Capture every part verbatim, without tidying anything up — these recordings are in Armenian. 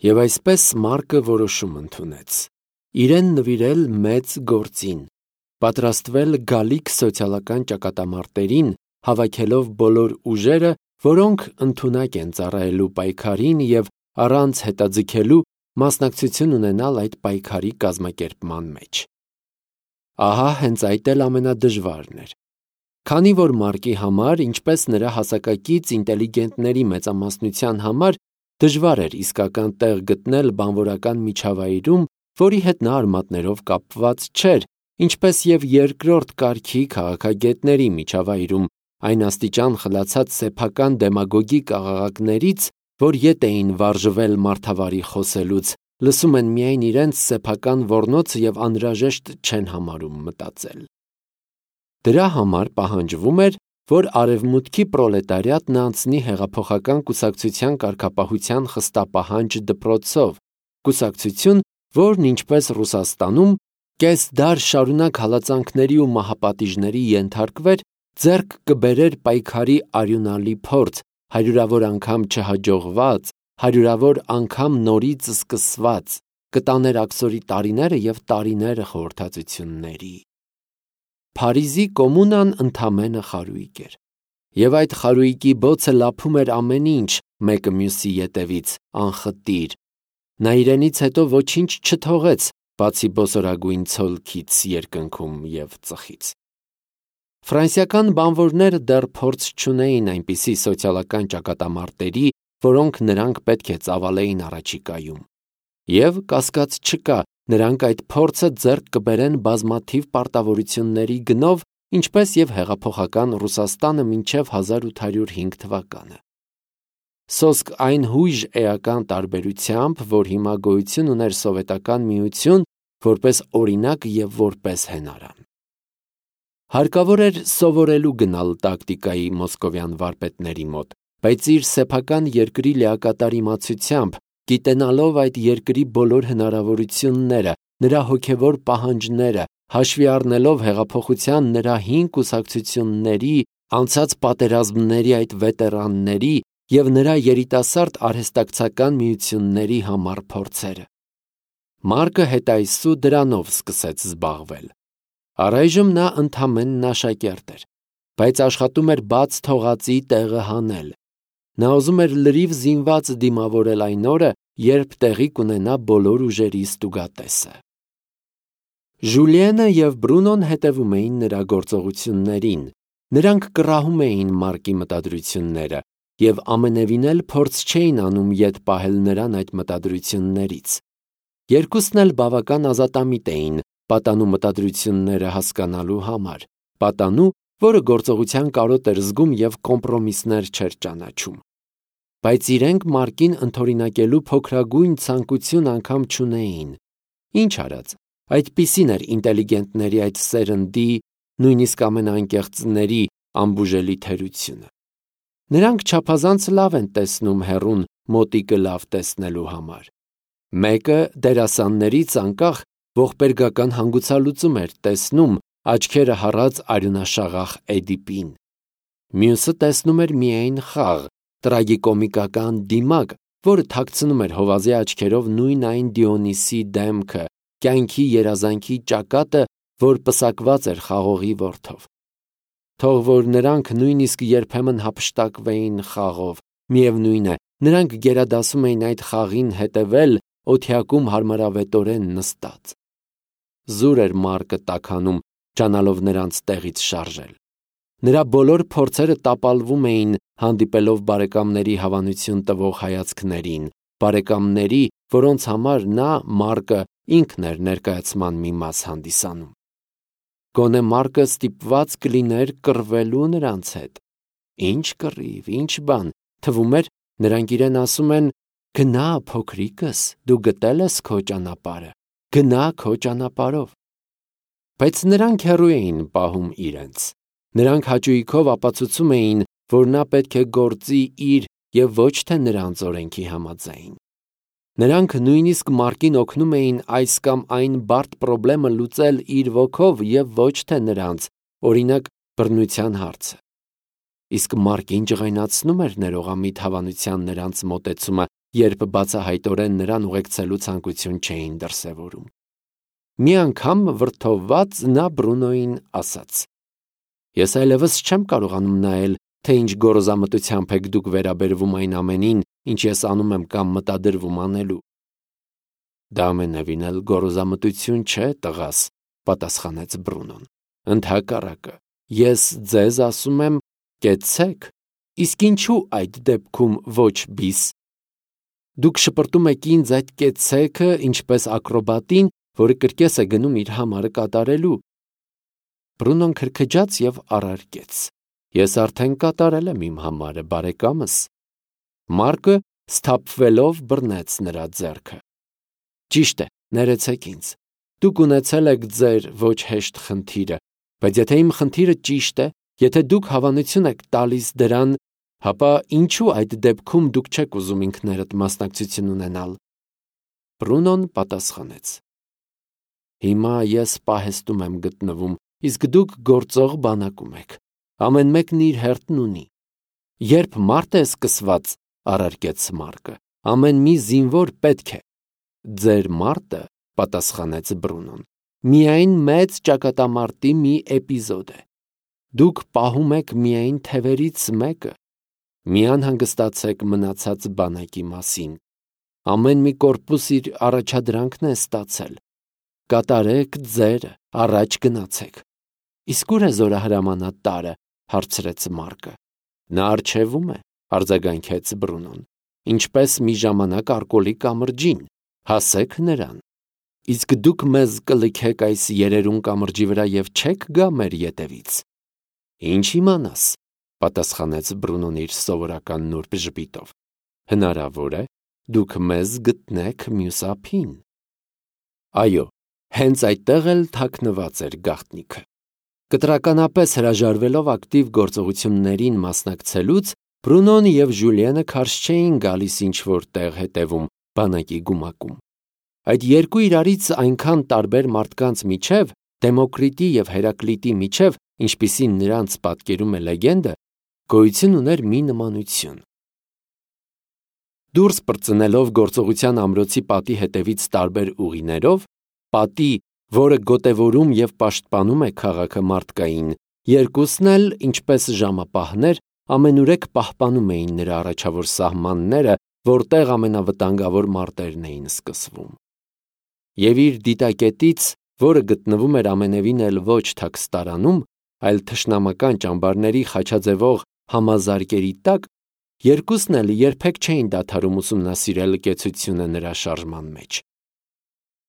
Եվ այսպես Մարկը որոշում ընդունեց. իրեն նվիրել մեծ գործին, պատրաստվել գալիք սոցիալական ճակատամարտերին, հավաքելով բոլոր ուժերը, որոնք ընդունակ են ծառայելու պայքարին և առանց հետաձգելու մասնակցություն ունենալ այդ պայքարի կազմակերպման մեջ։ Ահա հենց այդ էլ ամենադժվարն էր։ Քանի որ Մարկի համար, ինչպես նրա հասակակից ինտելիգենտների մեծամասնության համար, դժվար էր իսկական տեղ գտնել բանվորական միջավայրում, որի հետ նա արմատներով կապված չէր, ինչպես և երկրորդ կարգի քաղաքագետների միջավայրում, այն աստիճան խլացած սեփական դեմագոգիկ աղաղակներից, որ ետ էին վարժվել մարդավարի խոսելուց, լսում են միայն իրենց սեփական ոռնոցը և անհրաժեշտ չեն համարում մտածել։ Դրա համար պահանջվում էր, որ արևմուտքի պրոլետարիատն անցնի հեղափոխական կուսակցության կարգապահության խստապահանջ դպրոցով, կուսակցություն, որն ինչպես Ռուսաստանում կես դար շարունակ հալածանքների ու մահապատիժների ենթարկվեր, ձեռք կբերեր պայքարի արյունալի փորձ, հարյուրավոր անգամ չհաջողված, հարյուրավոր անգամ նորից սկսված, կտաներ աքսորի տարիները և տարիները խորհրդածությունների։ Փարիզի կոմունան ընդամենը խարույկ էր, և այդ խարույկի բոցը լափում էր ամեն ինչ մեկը մյուսի ետևից, անխտիր։ Նա իրենից հետո ոչինչ չթողեց, բացի բոսորագույն ցոլքից, երկնքում և ծխից։ Ֆրանսիական բանվորները դեռ փորձ չունեին այնպիսի սոցիալական ճակատամարտերի, որոնք նրանք պետք է ծավալեին առաջիկայում։ Եվ կասկած չկա, նրանք այդ փորձը ձեռք կբերեն բազմաթիվ պարտավորությունների գնով, ինչպես և հեղափոխական Ռուսաստանը մինչև հազար ութ հարյուր հինգ թվականը։ Սոսկ այն հույժ էական տարբերությամբ, որ հիմա գոյություն ուներ Սովետական Միություն, որպես օրինակ և որպես հենարան։ Հարկավոր էր սովորելու գնալ տակտիկայի մոսկովյան վարպետների մոտ, բայց իր սեփական երկրի լիակատար իմացությամբ, գիտենալով այդ երկրի բոլոր հնարավորությունները, նրա հոգևոր պահանջները, հաշվի առնելով հեղափոխության նրա հին կուսակցությունների, անցած պատերազմների այդ վետերանների և նրա երիտասարդ արհեստակցական միությունների համառ փորձերը։ Մարկը հետայսու դրանով սկսեց զբաղվել։ Առայժմ նա ընդամենն աշակերտ էր, բայց աշխատում էր բաց թողածի տեղը հանել։ Նա ուզում էր լրիվ զինված դիմավորել այն օրը, երբ տեղի կունենա բոլոր ուժերի ստուգատեսը։ Ժուլիենը և Բրունոն հետևում էին նրա գործողություններին, նրանք կռահում էին Մարկի մտադրությունները և ամենևին էլ փորձ չէին անում ետ պահել նրան այդ մտադրություններից։ Երկուսն էլ բավական ազատամիտ էին պատանու մտադրությունները հասկանալու համար, պատանու, որը գործողության կարոտ էր զգում և կոմպրոմիսներ չէր ճանաչում։ Բայց իրենք Մարկին ընդօրինակելու փոքրագույն ցանկություն անգամ չունեին։ Ինչ արած, այդպիսին էր ինտելիգենտների այդ սերնդի, նույնիսկ ամենաանկեղծների անբուժելի թերությունը։ Նրանք չափազանց լավ են տեսնում հեռուն մոտիկը լավ տեսնելու համար։ Մեկը դերասաններից անկախ ողբերգական հանգուցալուծում էր տեսնում, աչքերը հառած արյունաշաղախ Էդիպին։ Մյուսը տեսնում էր միայն խաղ, տրագիկոմիկական դիմակ, որը թաքցնում էր հովազի աչքերով նույն այն Դիոնիսի դեմքը, կյանքի երազանքի ճակատը, որ պսակված էր խաղողի որդով։ Թող որ նրանք նույնիսկ երբեմն հափշտակվեին խաղով, միևնույն է, նրանք գերադասում էին այդ խաղին հետևել օթյակում հարմարավետորեն նստած։ Զուր էր Մարկը տաքանում, ջանալով նրանց տեղից շարժել։ Նրա բոլոր փորձերը տապալվում էին հանդիպելով բարեկամների հավանություն տվող հայացքներին, բարեկամների, որոնց համար նա, Մարկը, ինքն էր ներկայացման մի մաս հանդիսանում։ Գոնե Մարկը ստիպված կլիներ կռվելու նրանց հետ։ Ինչ կռիվ, ինչ բան, թվում էր, նրանք իրեն ասում են. «Գնա, փոքրիկս, դու գտել ես քո ճանապարհը, գնա քո ճանապարհով»։ Բայց նրանք հեռու էին պահում իրենց։ Նրանք հաճույքով ապացուցում էին, որ նա պետք է գործի իր և ոչ թե նրանց օրենքի համաձայն։ Նրանք նույնիսկ Մարկին օգնում էին այս կամ այն բարդ պրոբլեմը լուծել իր ոգով և ոչ թե նրանց, օրինակ, բռնության հարցը։ Իսկ Մարկին ջղայնացնում էր ներողամիտ հավանության նրանց մոտեցումը, երբ բացահայտորեն նրան ուղեկցելու ցանկություն չէին դրսևորում։ Մի անգամ վրդովված նա Բրունոյին ասաց. «Ես այլևս չեմ կարողանում նայել, թե ինչ գոռոզամտությամբ եք դուք վերաբերվում այն ամենին, ինչ ես անում եմ կամ մտադրվում անելու»։ «Դա ամենևին էլ գոռոզամտություն չէ, տղաս», պատասխանեց Բրունոն։ «Ընդհակառակը, ես ձեզ ասում եմ, կեցցեք, իսկ ինչու այդ դեպքում ոչ բիս։ Դուք շպրտում եք ինձ այդ կեցցեքը ինչպես ակրոբատին, որը կրկես է գնում իր համարը կատարելու»։ Բրունոն քրքջաց և առարկեց. «Ես արդեն կատարել եմ իմ համարը, բարեկամս»։ Մարկը սթափվելով բռնեց նրա ձեռքը։ «Ճիշտ է, ներեցեք ինձ։ Դուք ունեցել եք ձեր ոչ հեշտ խնդիրը, բայց եթե իմ խնդիրը ճիշտ է, եթե դուք հավանություն եք տալիս դրան, հապա ինչու այդ դեպքում դուք չեք ուզում ինքներդ մասնակցություն ունենալ»։ Բրունոն պատասխանեց. «Հիմա ես պահեստում եմ գտնվում, իսկ դուք գործող բանակում եք։ Ամեն մեկն իր հերթն ունի։ Երբ մարտ է սկսված, առարկեց Մարկը, ամեն մի զինվոր պետք է։ Ձեր մարտը, պատասխանեց Բրունոն, միայն մեծ ճակատամարտի մի էպիզոդ է։ Դուք պահում եք միայն թևերից մեկը։ Մի անհանգստացեք մնացած բանակի մասին։ Ամեն մի կորպուս իր առաջադրանքն է ստացել։ Կատարեք ձերը, առաջ գնացեք։ Իսկ ուր է զորահրամանատ տարը, հարցրեց Մարկը։ Նա առջևում է, արձագանքեց Բրունոն, ինչպես մի ժամանակ արկոլի կամրջին, հասեք նրան։ Իսկ դուք մեզ կլքեք այս երերուն կամրջի վրա և չեք գա մեր ետևից։ Ինչ իմանաս, պատասխանեց Բրունոն իր սովորական նուրբ ժպիտով։ Հնարավոր է, դուք մեզ գտնեք մյուս ափին։ Այո, հենց այդտեղ էլ թաքնված էր գաղտնիքը։ Կտրականապես հրաժարվելով ակտիվ գործողություններին մասնակցելուց, Բրունոն և Ժուլիենը քարշ չէին գալիս ինչ-որ տեղ հետևում, բանակի գումակում։ Այդ երկու իրարից այնքան տարբեր մարդկանց միջև, Դեմոկրիտի և Հերակլիտի միջև, ինչպիսին նրանց պատկերում է լեգենդը, գոյություն ուներ մի նմանություն։ Դուրս պրծնելով գործողության ամրոցի պատի հետևից տարբեր ուղիներով, պատի, որը գոտևորում և պաշտպանում է քաղաքը մարդկային, երկուսն էլ, ինչպես ժամապահներ, ամենուրեք պահպանում էին նրա առաջավոր սահմանները, որտեղ ամենավտանգավոր մարտերն էին սկսվում։ Եվ իր դիտակետից, որը գտնվում էր ամենևին էլ ոչ թաքստարանում, այլ թշնամական ճամբարների խաչաձևող համազարկերի տակ, երկուսն էլ երբեք չէին դադարում ուսումնասիրել կեցությունը նրա շարժման մեջ։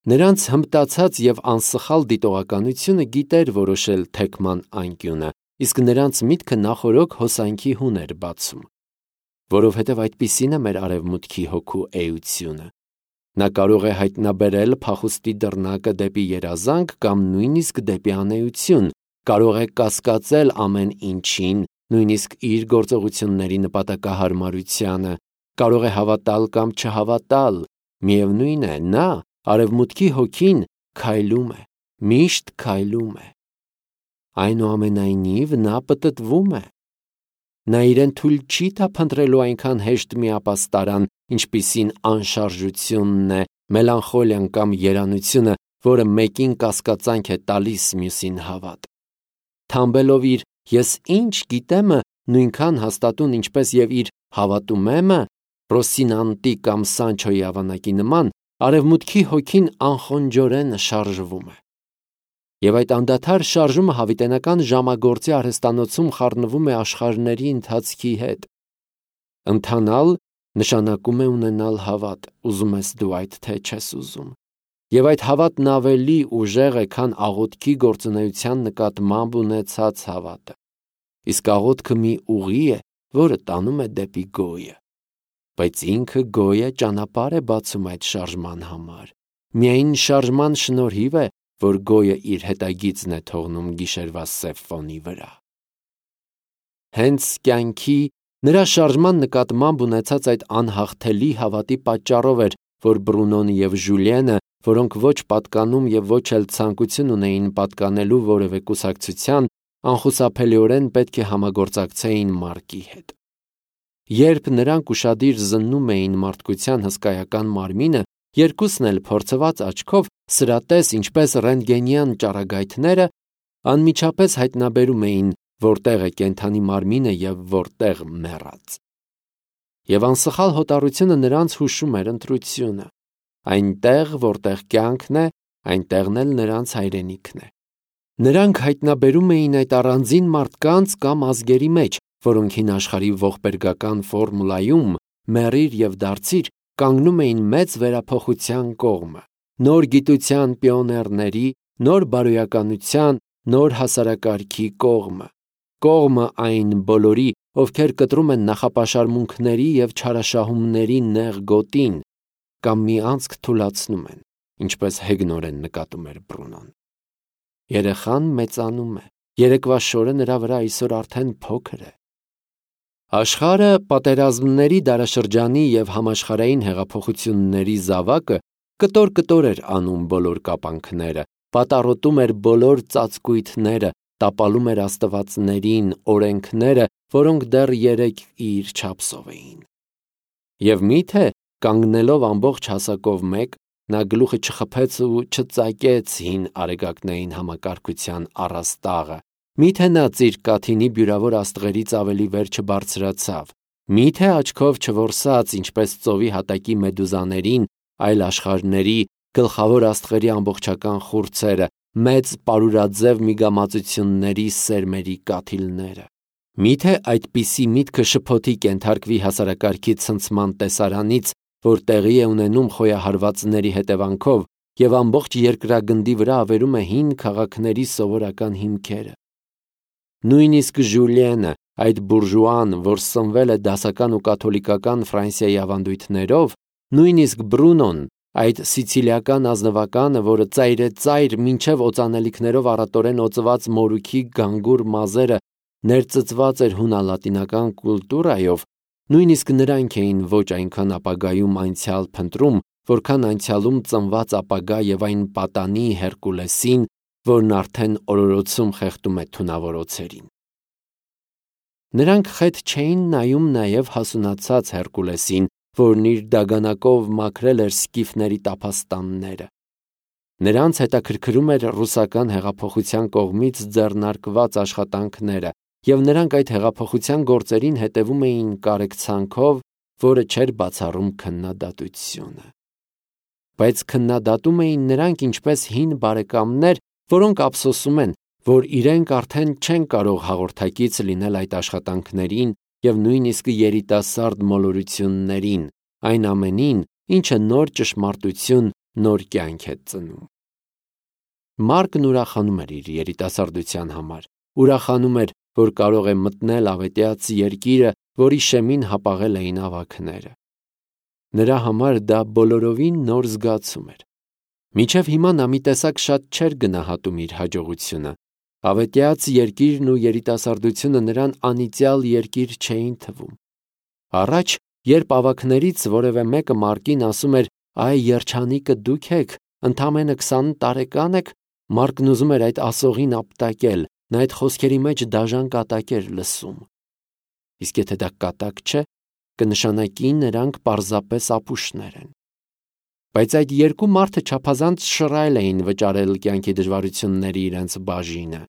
Նրանց հմտացած և անսխալ դիտողականությունը գիտեր որոշել թեքման անկյունը, իսկ նրանց միտքը նախօրոք հոսանքի հուն էր բացում։ Որովհետև այդպիսին է մեր արևմուտքի հոգու էությունը։ Նա կարող է հայտնաբերել փախուստի դռնակը դեպի երազանք կամ նույնիսկ դեպի անէություն, կարող է կասկածել ամեն ինչին, նույնիսկ իր գործողությունների նպատակահարմարությանը, կարող է հավատալ կամ չհավատալ, միևնույն է, նա, արևմուտքի հոգին, քայլում է, միշտ քայլում է։ Այնուամենայնիվ նա պտտվում է։ Նա իրեն թույլ չի տա փնտրելու այնքան հեշտ միապաստարան, ինչպիսին անշարժությունն է, մելանխոլիան կամ երանությունը, որը մեկին կասկածանք է տալիս, մյուսին հավատ։ Թամբելով իր «ես ինչ գիտեմը» նույնքան հաստատուն, ինչպես և իր «հավատում եմ»-ը, Ռոսինանտի կամ Սանչոյի ավանակի նման, արևմուտքի հոգին անխոնջորեն շարժվում է։ Եվ այդ անդադար շարժումը հավիտենական ժամագործի արհեստանոցում խառնվում է աշխարհների ընթացքի հետ։ Ընթանալ նշանակում է ունենալ հավատ, ուզում ես դու այդ թե չես ուզում։ Եվ այդ հավատն ավելի ուժեղ է, քան աղոթքի գործունեության նկատմամբ ունեցած հավատը։ Իսկ աղոթքը մի ուղի է, որը տանում է դեպի գոյը։ Բայց ինքը գոյը ճանապարհ է բացում այդ շարժման համար։ Միայն շարժման շնորհիվ է, որ գոյը իր հետագիծն է թողնում գիշերվա սև ֆոնի վրա։ Հենց կյանքի, նրա շարժման նկատմամբ ունեցած այդ անհաղթելի հավատի պատճառով էր, որ Բրունոն և Ժուլիենը, որոնք ոչ պատկանում և ոչ էլ ցանկություն ունեին պատկանելու որևէ կուսակցության, անխուսափելիորեն պետք է համագործակցեին Մարկի հետ։ Երբ նրանք ուշադիր զննում էին մարդկության հսկայական մարմինը, երկուսն էլ փորձված աչքով, սրատես ինչպես ռենտգենյան ճառագայթները, անմիջապես հայտնաբերում էին, որտեղ է կենդանի մարմինը և որտեղ մեռած։ Եվ անսխալ հոտառությունը նրանց հուշում էր ընտրությունը. այնտեղ, որտեղ կյանքն է, այնտեղն էլ նրանց հայրենիքն է։ Նրանք հայտնաբերում էին այդ առանձին մարդկանց կամ ազգերի մեջ, որոնք հին աշխարհի ողբերգական ֆորմուլայում մեռիր և դարձիր կանգնում էին մեծ վերափոխության կողմը, նոր գիտության պիոներների, նոր բարոյականության, նոր հասարակարգի կողմը, կողմը այն բոլորի, ովքեր կտրում են նախապաշարմունքների և չարաշահումների նեղ գոտին, կամ մի անցք թուլացնում են, ինչպես հեգնորեն նկատում էր Բրունոն։ Երեխան մեծանում է, երեկվա շորը նրա վրա այսօր արդեն փոքր է։ Աշխարհը պատերազմների դարաշրջանի և համաշխարհային հեղափոխությունների զավակը կտոր-կտոր էր անում բոլոր կապանքները, պատառոտում էր բոլոր ծածկույթները, տապալում էր աստվածներին, օրենքները, որոնք դեռ երեկ իր չափսով էին։ Եվ միթե, կանգնելով ամբողջ հասակով մեկ, նա գլուխը չխփեց ու չծակեց հին արեգակնային համակարգության առաստաղը, միթե նա ծիրկաթինի բյուրավոր աստղերից ավելի վեր չբարձրացավ, միթե աչքով չորսաց, ինչպես ծովի հատակի մեդուզաներին, այլ աշխարհների, գլխավոր աստղերի ամբողջական խուրձերը, մեծ պարուրաձև միգամածությունների սերմերի կաթիլները։ Միթե այդպիսի միտքը շփոթի կենթարկվի հասարակարգի ցնցման տեսարանից, որ տեղի է ունենում խոյահարվածների հետևանքով և ամբողջ երկրագնդի վրա ավերում է հին քաղաքների սովորական հիմքերը։ Նույնիսկ Ժուլիենը, այդ բուրժուան, որ սնվել է դասական ու կաթոլիկական Ֆրանսիայի ավանդույթներով, նույնիսկ Բրունոն, այդ սիցիլիական ազնվականը, որը ծայրեծայր մինչև օծանելիքներով առատորեն օծված մորուքի գանգուր մազերը ներծծված էր հունալատինական կուլտուրայով, նույնիսկ նրանք էին ոչ այնքան ապագայում անցյալ փնտրում, որքան անցյալում ծնված ապագա և այն պատանի Հերկուլեսին, որն արդեն օրորոցում խեղդում է թունավոր օձերին։ Նրանք խետ չէին նայում նաև հասունացած Հերկուլեսին, որն իր դագանակով մաքրել էր սկիֆների տափաստանները։ Նրանց հետաքրքրում էր ռուսական հեղափոխության կողմից ձեռնարկված աշխատանքները, և նրանք այդ հեղափոխության գործերին հետևում էին կարեկցանքով, որը չէր բացառում քննադատությունը։ Բայց քննադատում էին նրանք ինչպես հին բարեկամներ, որոնք ափսոսում են, որ իրենք արդեն չեն կարող հաղորդակից լինել այդ աշխատանքներին և նույնիսկ երիտասարդ մոլորություններին, այն ամենին, ինչը նոր ճշմարտություն, նոր կյանք է ծնում։ Մարկն ուրախանում էր իր երիտասարդության համար, ուրախանում էր, որ կարող է մտնել ավետյաց երկիրը, որի շեմին հապաղել էին ավագները։ Նրա համար դա բոլորովին նոր զգացում էր։ Մինչև հիմա նա մի տեսակ շատ չէր գնահատում իր հաջողությունը։ Ավետյաց երկիրն ու երիտասարդությունը նրան անիծյալ երկիր չէին թվում։ Առաջ, երբ ավագներից որևէ մեկը Մարկին ասում էր. «Այ երջանիկը դուք եք, ընդամենը քսան տարեկան եք», Մարկն ուզում էր այդ ասողին ապտակել, նա այդ խոսքերի մեջ դաժան կատակ էր լսում։ Իսկ եթե դա կատակ չէ, կնշանակի նրանք պարզապես ապուշներ են։ Բայց այդ երկու մարդը չափազանց շռայլ էին վճարել կյանքի դժվարությունների իրենց բաժինը։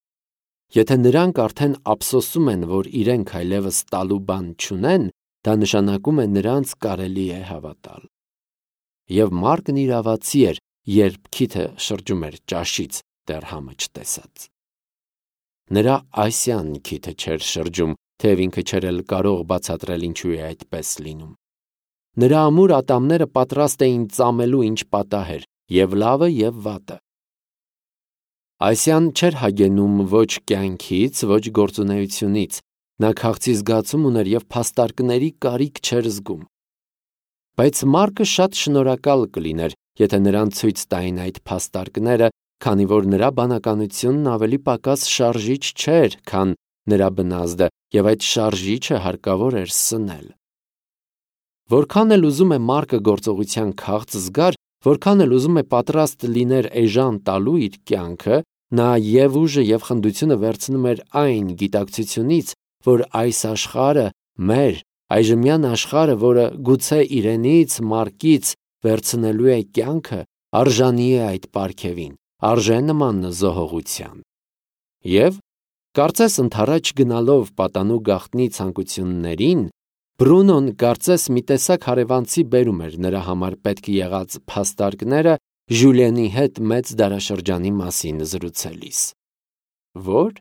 Եթե նրանք արդեն ափսոսում են, որ իրենք այլևս տալու բան չունեն, դա նշանակում է նրանց կարելի է հավատալ։ Եվ Մարկն իրավացի էր, երբ քիթը շրջում էր ճաշից, դեռ համը չտեսած։ Նրա Ասիան քիթը չէր շրջում, թեև ինքը չէր էլ կարող բացատրել ինչու է այդպես լինում։ Նրա ամուր ատամները պատրաստ էին ծամելու ինչ պատահեր, և լավը, և վատը։ Ասիան չէր հագենում ոչ կյանքից, ոչ գործունեությունից, նա քաղցի զգացում ուներ և փաստարկների կարիք չէր զգում։ Բայց Մարկը շատ շնորհակալ կլիներ, եթե նրան ցույց տային այդ փաստարկները, քանի որ նրա բանականությունն ավելի պակաս շարժիչ չէր, քան նրա բնազդը, և այդ շարժիչը հարկավոր էր սնել։ Որքան էլ ուզում է Մարկը գործողության քաղց զգար, որքան էլ ուզում է պատրաստ լիներ էժան տալու իր կյանքը, նա և ուժը, և խնդությունը վերցնում էր այն գիտակցությունից, որ այս աշխարհը մեր, Այժմյան աշխարհը, որը գուցե իրենից, Մարկից վերցնելու է կյանքը, արժանի է այդ պարգևին, արժե նման զոհողության։ Եվ, կարծես ընդառաջ գնալով պատանու գաղտնի ցանկություններին, Բրունոն կարծես մի տեսակ հարևանցի բերում էր նրա համար պետք եղած փաստարկները Ժուլիենի հետ մեծ դարաշրջանի մասին զրուցելիս։ Որ?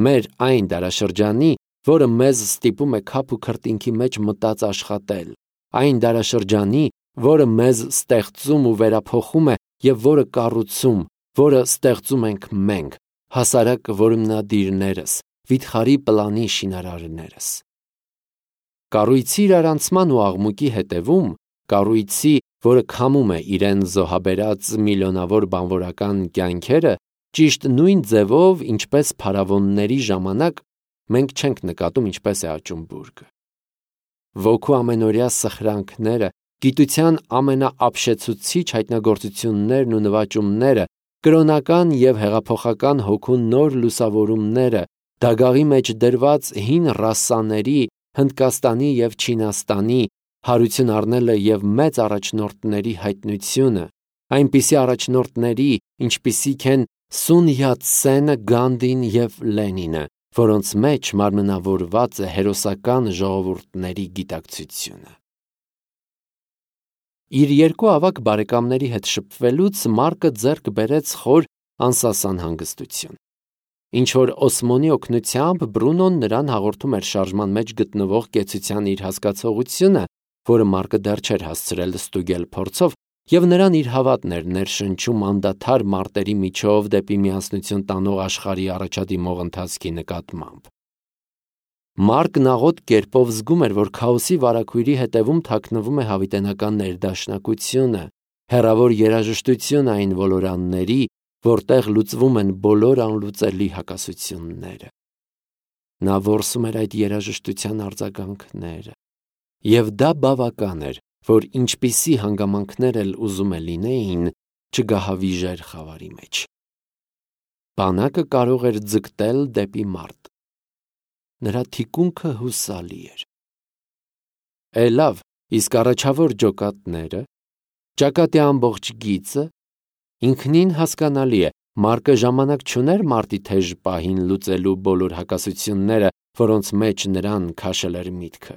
Մեր այն դարաշրջանի, որը մեզ ստիպում է քափ ու քրտինքի մեջ մտած աշխատել, այն դարաշրջանի, որը մեզ ստեղծում ու վերափոխում է և որը կառուցում, որը ստեղծում ենք մենք, հասարակ որմնադիրներս, վիթխարի պլանի շինարարներս։ Կառույցի իրարանցման ու աղմուկի հետևում, կառույցի, որը քամում է իրեն զոհաբերած միլիոնավոր բանվորական կյանքերը, ճիշտ նույն ձևով, ինչպես փարավոնների ժամանակ, մենք չենք նկատում ինչպես է աճում բուրգը։ Ոգու ամենօրյա սխրանքները, գիտության ամենաապշեցուցիչ հայտնագործություններն ու նվաճումները, կրոնական և հեղափոխական հոգու նոր լուսավորումները, դագաղի մեջ դրված հին ռասաների, Հնդկաստանի և Չինաստանի հարություն առնելը և մեծ առաջնորդների հայտնությունը, այնպիսի առաջնորդների, ինչպիսիք են Սուն Յատ-սենը, Գանդին և Լենինը, որոնց մեջ մարմնավորված է հերոսական ժողովուրդների գիտակցությունը։ Իր երկու ավագ բարեկամների հետ շփվելուց Մարկը ձեռք բերեց խոր անսասան հանգստություն։ Ինչ-որ Օսմոնի օգնությամբ Բրունոն նրան հաղորդում էր շարժման մեջ գտնվող կեցության իր հասկացողությունը, որը Մարկը դեռ չէր հասցրել ստուգել փորձով, և նրան իր հավատն էր ներշնչում անդադար մարտերի միջով դեպի միասնություն տանող աշխարհի առաջադիմող ընթացքի նկատմամբ։ Մարկն աղոտ կերպով զգում էր, որ քաոսի վարագույրի հետևում թաքնվում է հավիտենական ներդաշնակությունը, հեռավոր երաժշտություն այն ոլորանների, որտեղ լուծվում են բոլոր անլուծելի հակասությունները։ Նա որսում էր այդ երաժշտության արձագանքները, և դա բավական էր, որ ինչպիսի հանգամանքներ էլ ուզում է լինեին, չգահավիժեր խավարի մեջ։ Բանակը կարող էր ձգտել դեպի մարտ։ Նրա թիկունքը հուսալի էր։ Է լավ, իսկ առաջավոր ջոկատները, ճակատի ամբողջ գիծը, ինքնին հասկանալի է, Մարկը ժամանակ չուներ մարտի թեժ պահին լուծելու բոլոր հակասությունները, որոնց մեջ նրան քաշել էր միտքը։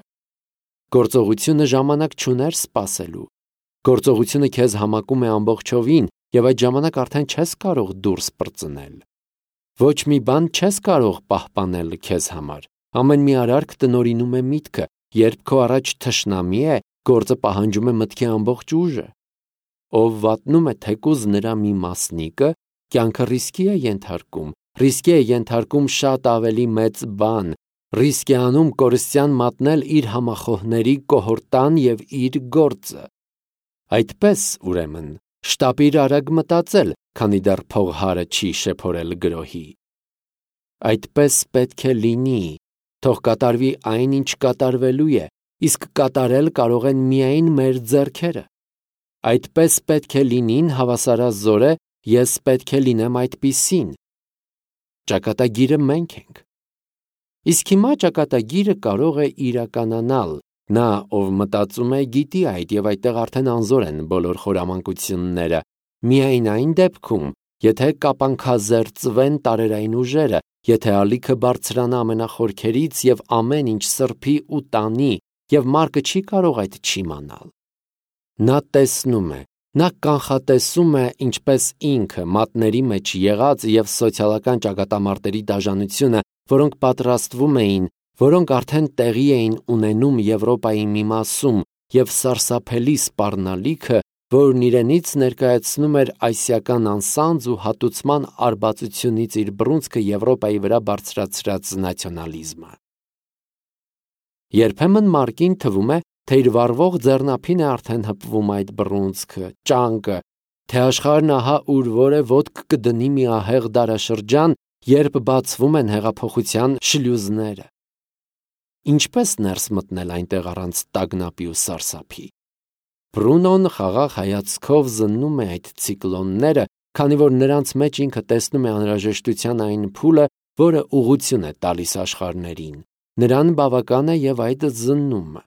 Գործողությունը ժամանակ չուներ սպասելու։ Գործողությունը քեզ համակում է ամբողջովին, և այդ ժամանակ արդեն չես կարող դուրս պրծնել։ Ոչ մի բան չես կարող պահպանել քեզ համար։ Ամեն մի արարք տնօրինում է միտքը, երբ քո առաջ թշնամի է, գործը պահանջում է մտքի ամբողջ ուժը։ Ով վատնում է թեկուզ նրա մի մասնիկը, կյանքը ռիսկի է ենթարկում, ռիսկի է ենթարկում շատ ավելի մեծ բան, ռիսկ է անում կորստյան մատնել իր համախոհների կոհորտան և իր գործը։ Այդպես, ուրեմն, շտապիր արագ մտածել, քանի դեռ փողհարը չի շեփորել գրոհի։ Այդպես պետք է լինի, թող կատարվի այն, ինչ կատարվելու է, իսկ կատարել կարող են միայն մեր ձեռքերը։ Այդպես պետք է լինին, հավասարազոր է, ես պետք է լինեմ այդպիսին։ Ճակատագիրը մենք ենք։ Իսկ հիմա ճակատագիրը կարող է իրականանալ, նա, ով մտածում է, գիտի այդ, և այդտեղ արդեն անզոր են բոլոր խորամանկությունները, միայն այն դեպքում, եթե կապանքազերծվեն տարերային ուժերը, եթե ալիքը բարձրանա ամենախորքերից և ամեն ինչ սրբի ու տանի, և Մարկը չի կարող այդ չիմանալ։ Նա տեսնում է, նա կանխատեսում է, ինչպես ինքը մատների մեջ եղած և սոցիալական ճակատամարտերի դաժանությունը, որոնք պատրաստվում էին, որոնք արդեն տեղի էին ունենում Եվրոպայի մի մասում, և սարսափելի սպառնալիքը, որն իրենից ներկայացնում էր ասիական անսանձ ու հատուցման արբածությունից իր բռունցքը Եվրոպայի վրա բարձրացրած նացիոնալիզմը։ Երբեմն Մարկին թվում է, թե իր վառվող ձեռնափին է արդեն հպվում այդ բռունցքը, ճանկը, թե աշխարհն ահա ուր որ է ոտք կդնի մի ահեղ դարաշրջան, երբ բացվում են հեղափոխության շլյուզները։ Ինչպես ներս մտնել այնտեղ առանց տագնապի ու սարսափի։ Բրունոն խաղաղ հայացքով զննում է այդ ցիկլոնները, քանի որ նրանց մեջ ինքը տեսնում է անհրաժեշտության այն փուլը, որը ուղղություն է տալիս աշխարհներին, Նրան բավական է և այդ զննումը։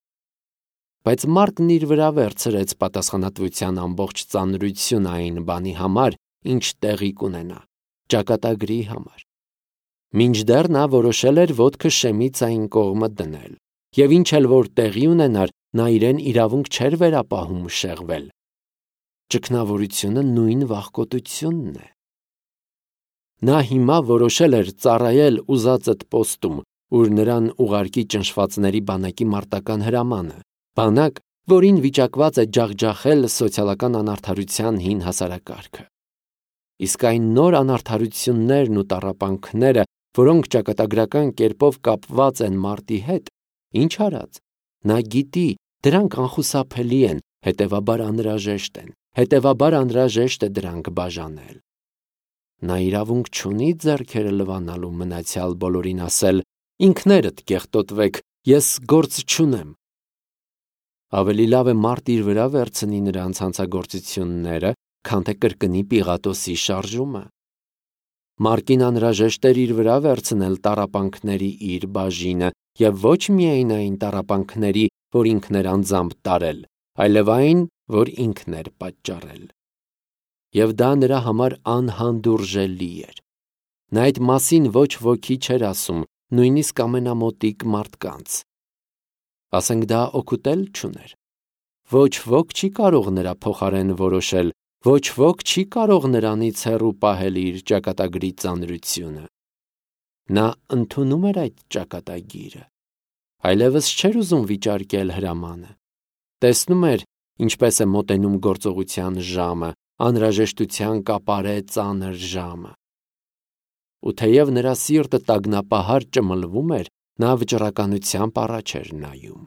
Բայց Մարկն իր վրա վերցրեց պատասխանատվության ամբողջ ծանրությունը այն բանի համար, ինչ տեղի կունենա, ճակատագրի համար։ Մինչդեռ նա որոշել էր ոտքը շեմից այն կողմը դնել, և ինչ էլ որ տեղի ունենար, նա իրեն իրավունք չէր վերապահում շեղվել։ Ճգնավորությունը նույն վախկոտությունն է։ Նա հիմա որոշել էր ծառայել ուզածդ պոստում, ուր նրան ուղարկի ճնշվածների բանակի մարտական հրամանը, բանակ, որին վիճակված է ջախջախել սոցիալական անարդարության հին հասարակարգը։ Իսկ այն նոր անարդարություններն ու տառապանքները, որոնք ճակատագրական կերպով կապված են մարտի հետ, ինչ արած, նա գիտի, դրանք անխուսափելի են, հետևաբար անհրաժեշտ են, հետևաբար անհրաժեշտ է դրանք բաժանել։ Նա իրավունք չունի ձեռքերը լվանալու մնացյալ բոլորին ասել. ինքներդ կեղտոտվեք, ես գործ չունեմ։ Ավելի լավ է մարդ իր վրա վերցնի նրանց հանցագործությունները, քան թե կրկնի Պիղատոսի շարժումը։ Մարկին անհրաժեշտ էր իր վրա վերցնել տառապանքների իր բաժինը, և ոչ միայն այն տառապանքների, որ ինքն էր անձամբ տարել, այլև այն, որ ինքն էր պատճառել։ Եվ դա նրա համար անհանդուրժելի էր։ Նա այդ մասին ոչ ոքի չէր ասում, նույնիսկ ամենամոտիկ մարդկանց։ Ասենք դա օգուտ էլ չուներ։ Ոչ ոք չի կարող նրա փոխարեն որոշել, ոչ ոք չի կարող նրանից հեռու պահել իր ճակատագրի ծանրությունը։ Նա ընդունում էր այդ ճակատագիրը, այլևս չէր ուզում վիճարկել հրամանը։ Տեսնում էր, ինչպես է մոտենում գործողության ժամը, անհրաժեշտության կապարե ծանր ժամը։ Ու թեև նրա սիրտը տագնապահար ճմլվում էր, նա վճռականությամբ առաջ էր նայում։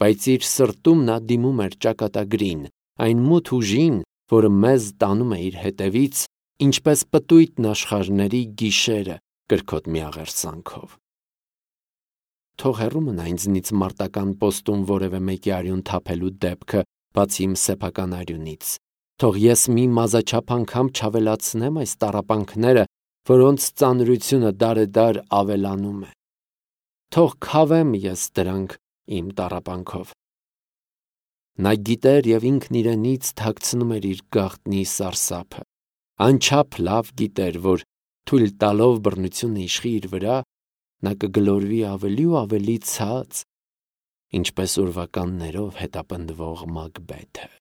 Բայց իր սրտում նա դիմում էր ճակատագրին, այն մութ ուժին, որը մեզ տանում է իր հետևից, ինչպես պտույտն աշխարհների գիշերը կրքոտ միաղերսանքով։ Թող հեռու մնա ինձնից մարտական պոստում որևէ մեկի արյուն թափելու դեպքը, բացի իմ սեփական արյունից։ Թող ես մի մազաչափ անգամ չավելացնեմ այս տառապանքները, որոնց ծանրությունը դարեդար ավելանում է։ Թող քավեմ ես դրանք իմ տառապանքով։ Նա գիտեր և ինքն իրենից թաքցնում էր իր գաղտնի սարսափը, անչափ լավ գիտեր, որ թույլ տալով բռնությունը իշխի իր վրա, նա կգլորվի ավելի ու ավելի ցած, ինչպես ուրվականներով հետապնդվող Մակբեթը։